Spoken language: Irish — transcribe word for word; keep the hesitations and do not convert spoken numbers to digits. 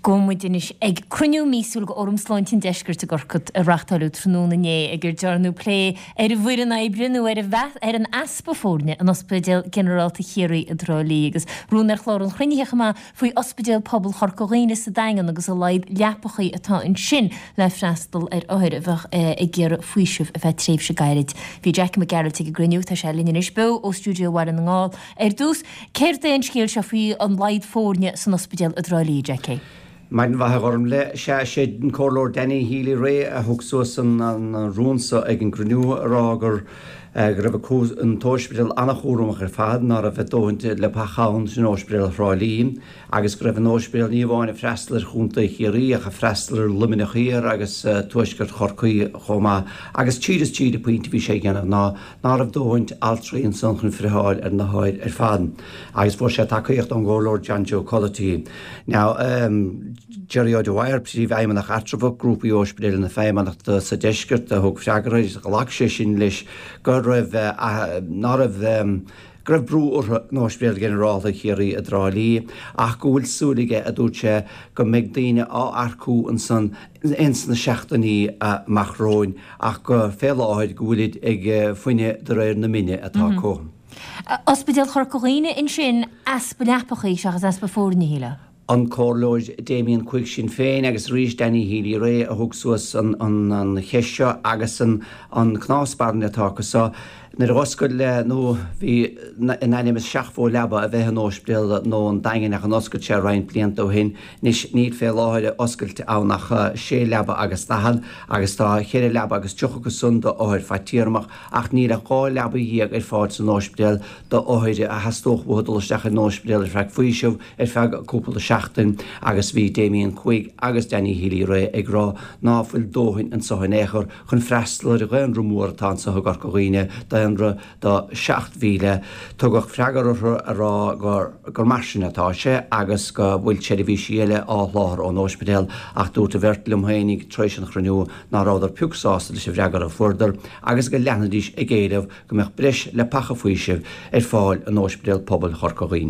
Gabhfaidh muid anois ag cruinniú míosúil de Fhóram Sláinte an Deiscirt i gCorcaigh a reáchtáileadh tráthnóna inné ag ar dearnadh plé ar an bhfoireann oibre nó ar ar an easpa foirne in Ospidéal Ginearálta Chiarraí i dTrá Lí agus rún ar chlár an chruinnithe chomh maith faoi Ospidéal Pobail Chorca Dhuibhne sa Daingean agus a laghad leapachaí atá ansin le freastal ar othair a bheadh ag iarraidh faoiseamh ar feadh tréimhse gairid. Bhí Jackie Mac Gearailt ag an gcruinniú, tá sé linn anois beo ó stiúideo Bhaile na nGall. Ar dtús, céard é an scéal seo faoi an laghad foirne san ospidéal i dTrá Lí, Jackie? Maidin mhaith a Ghormfhlaith. Sea, sé an Comhairleoir Danny Healy-Rae a thug suas an rún so ag an gcruinniú a rá gur go raibh an t-ospidéal an-chúramach ar fad, ná raibh a dóthain leapacha ann san ospidéal Thrá Lí agus go raibh an ospidéal ní amháin ag freastal ar Chontae Chiarraí ach ag freastal ar Luimneach Thiar agus Tuaisceart Chorcaí chomh maith. Agus tríd is tríd an pointe a bhí sé a dhéanamh ná ná raibh dóthain altraí ansan chun friotháil ar na hothair ar fad. Agus fuair sé tacaíocht ón gComhairleoir John Joe Culloty. Now, um, Jerry O'Dwyer, príomhfheidhmeannach eatramhach Grúpa Ospidéil na Feidhmeannachta sa Deisceart a thug freagra ghlac sé sin leis go raibh ná raibh go raibh brú orthu in Ospidéal Ginearálta Chiarraí i dTrá Lí ach go bhfuil súil aige a dúirt sé go mbeidh daoine á earcú ansan ins na seachtainí amach romhainn ach go fé láthair go bhfuilid ag fuineadh de réir na mine atá acu. Ospidéal Chorca Dhuibhne ansin easpa leapachaí seachas easpa foirne shíle. An Comhairleoir Damien Quigg Sinn Féin agus arís Danny Healy-Rae a thug suas an, an, an cheist seo agus an, an cnámh spairne atá acu so. Nuair a oscail nó bhí in ainm is seachtó leaba a bheith in ospidéal nua an Daingin ach an oscailt sé roinnt blianta ó shin anois níl fé láthair oscailte ann ach sé leaba agus daichead agus tá ceithre leaba agus tríocha acu san d'othair fadtéarmach ach níl ach dhá leaba dhéag ar fáil san ospidéal d'othair a theastódh uathu dul isteach in ospidéal ar feadh faoiseamh ar feadh cúpla seachtain agus bhí Damien Quigg agus Danny Healy-Rae ag rá ná fuil dóthain anso in aon chor chun freastal ar dhaonra mór atá anso i gCorca Dhuibhne daonra do seacht mhíle. Tugadh freagra orthu a rá gur gur mar sin atá sé agus go bhfuil seirbhísí eile á sholáthar ón ospidéal ach dúirt an bheirt liom féinig tar éis an chruinniú ná rabhadar pioc sásta leis an bhfreagra a fuaireadar agus go leanfaidís ag éileamh go mbeadh breis leapacha faoisimh ar fáil in Ospidéal Pobail Chorca Dhuibhne.